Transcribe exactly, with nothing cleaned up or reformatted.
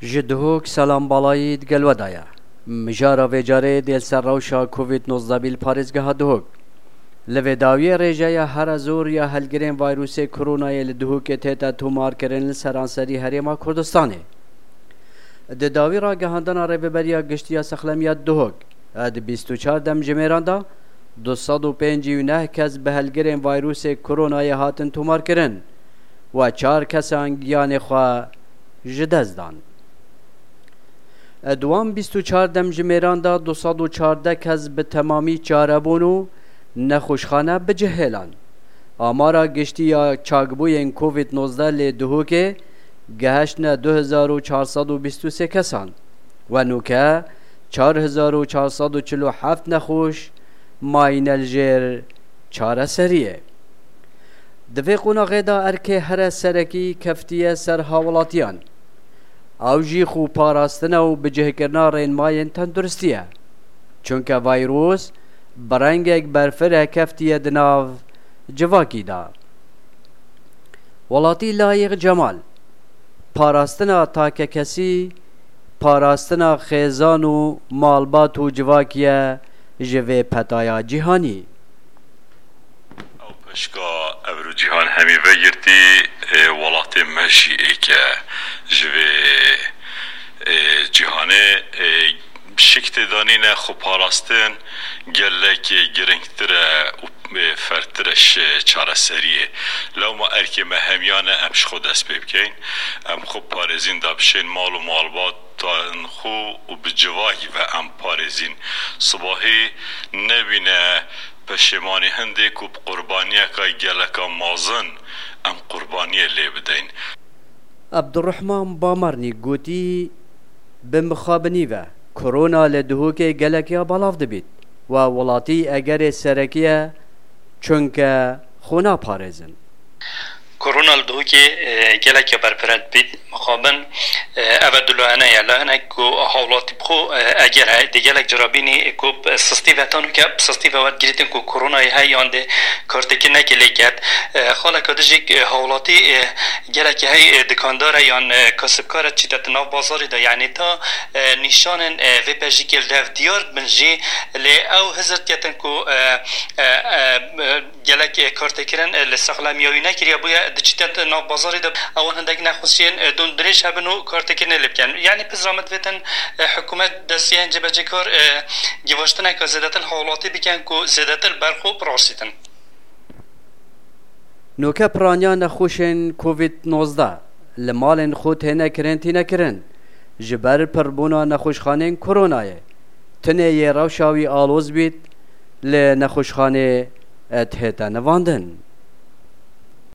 Ji Duhok selam balayî digel we daye. Mijara vê carê dê li ser rewşa Covid nozdeh bî li parêzgeha Duhok. Li vê dawiyê rêjeya here zor ya helgirên vayrûsê koronayê li Duhokê tête tomarkirin li seranserî Herêma Kurdistanê. Di dawî ragihandina Rêveberiya Giştî ya Sexlemiya Duhok, di bîst û çar demjimêran de du sed û pêncî û neh kes bi helgirên vayrûsê koronayê hatin tomarkirin. Û çar kesan giyanê xwe ji dest dan. Di wan bîst û çar demjimêran de du sed û çardeh kes bi temamî çarebûn û nexweşxane bi cih hêlan. Amara giştî ya çakbûyên Covid nozdeh lê Duhokê gehiştine du hezar û çar sed û bîst û sê kesan. We nûke çar hezar û çar sed û çil û heft nexweş mayîne li jêr çareseriyê. Di vê qonaxê de erkê here serekî keftiye ser hawilatiyan. Ew jî xwe parastina û bicihkirina rênmayên tenduristiye. Çunke vayrûs bi rengek berfire keftiye di nav civakî de. Welatî Layîq Cemal, parastina takekesî, parastina xêzan û malbat û civakî ye ji vê petaya cîhanî. Ew peşka evro cîhan hemî vegirtî, e, welatê me jî êk e ji vê, e, cîhanê, e, şik tê danîne xwe parastin gelek girîngtir e û, e, fertir e ji çareseriyê. Lewma erkê me hemiyan e em ji xwe dest pê bikeyn. Em xwe parêzîn da bişên mal û malbat tan xwe û bi civakî ve em parêzîn. Sibahî nebîne peşêmanî hindê ku bi qurbaniyeka geleka mezin em qurbaniyê lê bideyn. Abdurrahman Bamarnî gotî, bi mixabinî ve korona li Duhokê gelek ya belav dibît. We welatî egerê serekî ye, çunke xwe naparêzin. Korona li Duhokê, e, gelek ya berpire dibît. Mixabin, e, ev e du layene ye. Layenek ku hawlatî bi xwe, e, eger heye, di gelek cara bînî ku sistî ve, tanu ke bi sistî ve werdigirîtin ku koronayê heye yan dê kartêkirinekê lê ket. E, xaleka dijî, e, hawlatî, e, gelek hey, e, dikandar e yan, e, kasibkar e, çîte di nav bazarê de, yanî ta, e, nîşanên, e, vê pejîkê li dev diyar bin jî, lê ew hizir diketin ku, e, e, e, e, gelek, e, kartêkirin, e, li sexlemiya wî nekiriye, bûye diçîte nav bazarê de ewan hindek nexweşiyên, e, don dirêj hebin û kartêkirinê lê bikin. Yanî pizra min divêtin, e, hikûmet destiyên cebecêkar, e, givaştineke zêdetir hawlatî bikin ku zêdetir ber xwe biraşîtin. Nûke piraniya nexweşên Covid nozdeh li malên xwe têne kirin tîne kirin. Ji ber pirbûna nexweşxanên koronayê, tinê yê rewşa wî aloz bît, li nexweşxanê dihête nivandin.